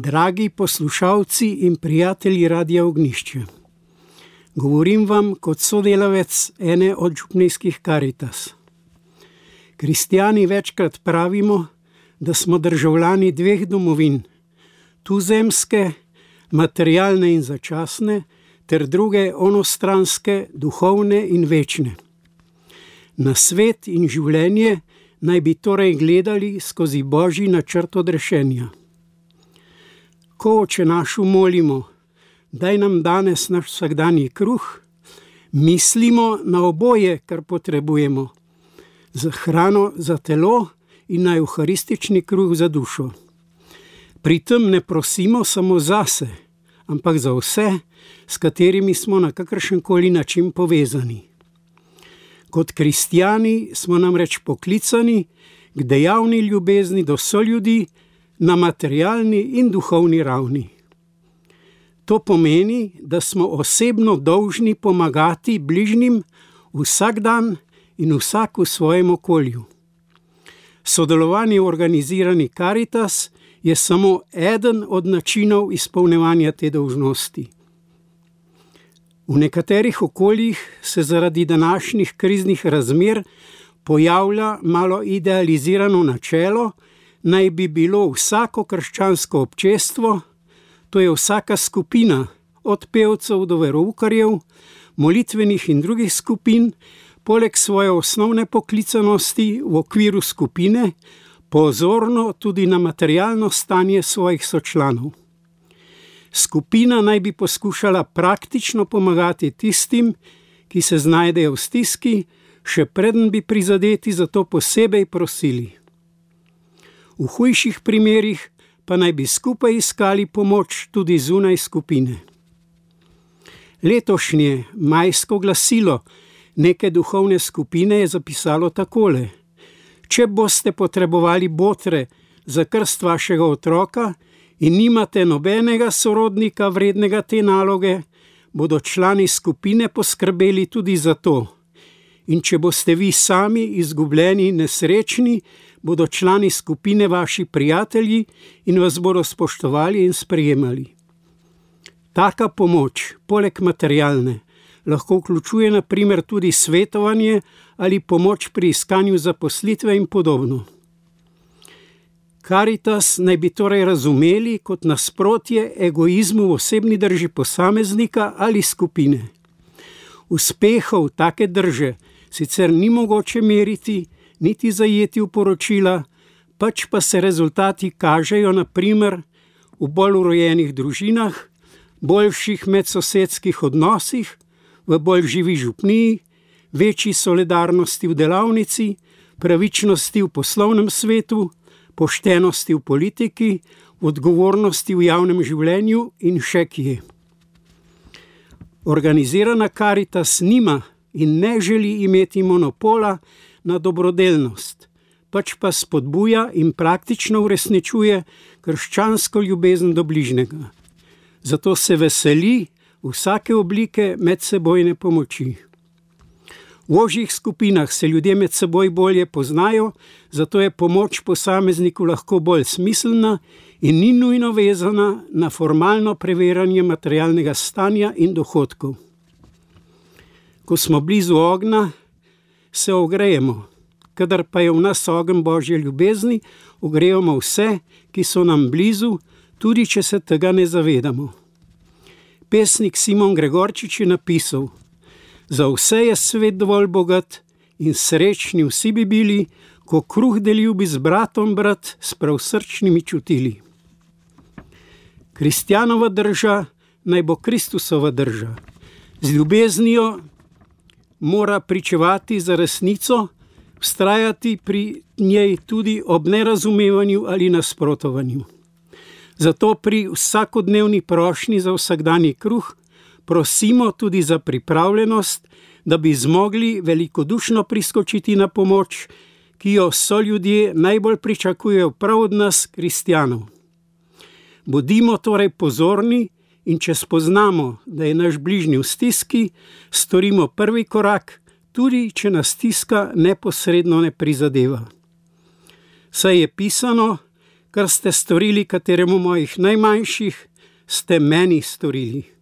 Dragi poslušalci in prijatelji Radia Ognjišče, govorim vam kot sodelavec ene od župnijskih Karitas. Kristjani večkrat pravimo, da smo državljani dveh domovin, tuzemske, materialne in začasne, ter druge onostranske, duhovne in večne. Na svet in življenje naj bi torej gledali skozi Božji načrt odrešenja. Ko Oče našu molimo, daj nam danes naš vsakdanji kruh, mislimo na oboje, kar potrebujemo, za hrano za telo in na evharistični kruh za dušo. Pri tem ne prosimo samo zase, ampak za vse, s katerimi smo na kakršenkoli način povezani. Kot kristjani smo namreč poklicani k dejavni ljubezni do soljudi na materialni in duhovni ravni. To pomeni, da smo osebno dolžni pomagati bližnjim vsak dan in vsak v svojem okolju. Sodelovanje v organizirani Karitas je samo eden od načinov izpolnjevanja te dolžnosti. V nekaterih okoljih se zaradi današnjih kriznih razmer pojavlja malo idealizirano načelo, naj bi bilo vsako krščansko občestvo, to je vsaka skupina, od pevcev do veroukarjev, molitvenih in drugih skupin, poleg svoje osnovne poklicanosti v okviru skupine, pozorno tudi na materialno stanje svojih sočlanov. Skupina naj bi poskušala praktično pomagati tistim, ki se znajdejo v stiski, še preden bi prizadeti za to posebej prosili. V hujših primerih pa naj bi skupaj iskali pomoč tudi zunaj skupine. Letošnje majsko glasilo neke duhovne skupine je zapisalo takole: Če boste potrebovali botre za krst vašega otroka in nimate nobenega sorodnika vrednega te naloge, bodo člani skupine poskrbeli tudi za to. In če boste vi sami izgubljeni in nesrečni, bodo člani skupine vaši prijatelji in vas bodo spoštovali in sprejemali. Taka pomoč, poleg materialne, lahko vključuje na primer tudi svetovanje ali pomoč pri iskanju zaposlitve in podobno. Karitas naj bi torej razumeli kot nasprotje egoizmu v osebni drži posameznika ali skupine. Uspehov take drže sicer ni mogoče meriti, niti zajeti v poročila, pač pa se rezultati kažejo na primer v bolj urejenih družinah, boljših medsosedskih odnosih, v bolj živi župniji, večji solidarnosti v delavnici, pravičnosti v poslovnem svetu, poštenosti v politiki, odgovornosti v javnem življenju in še kje. Organizirana Karitas nima in ne želi imeti monopola na dobrodelnost, pač pa spodbuja in praktično uresničuje krščansko ljubezen do bližnjega. Zato se veseli vsake oblike medsebojne pomoči. V ožjih skupinah se ljudje med seboj bolje poznajo, zato je pomoč posamezniku lahko bolj smiselna in ni nujno vezana na formalno preverjanje materialnega stanja in dohodkov. Ko smo blizu ognja, se ogrejemo, kadar pa je v nas ogenj Božje ljubezni, ogrejemo vse, ki so nam blizu, tudi če se tega ne zavedamo. Pesnik Simon Gregorčič je napisal: Za vse je svet dovolj bogat in srečni vsi bi bili, ko kruh delil bi z bratom brat s pravsrčnimi čutili. Kristjanova drža naj bo Kristusova drža. Z ljubeznijo mora pričevati za resnico, vztrajati pri njej tudi ob nerazumevanju ali nasprotovanju. Zato pri vsakodnevni prošnji za vsakdanji kruh prosimo tudi za pripravljenost, da bi zmogli velikodušno priskočiti na pomoč, ki jo soljudje najbolj pričakujejo prav od nas, kristjanov. Bodimo torej pozorni in če spoznamo, da je naš bližnji v stiski, storimo prvi korak, tudi če nas stiska neposredno ne prizadeva. Saj je pisano: kar ste storili kateremu mojih najmanjših, ste meni storili.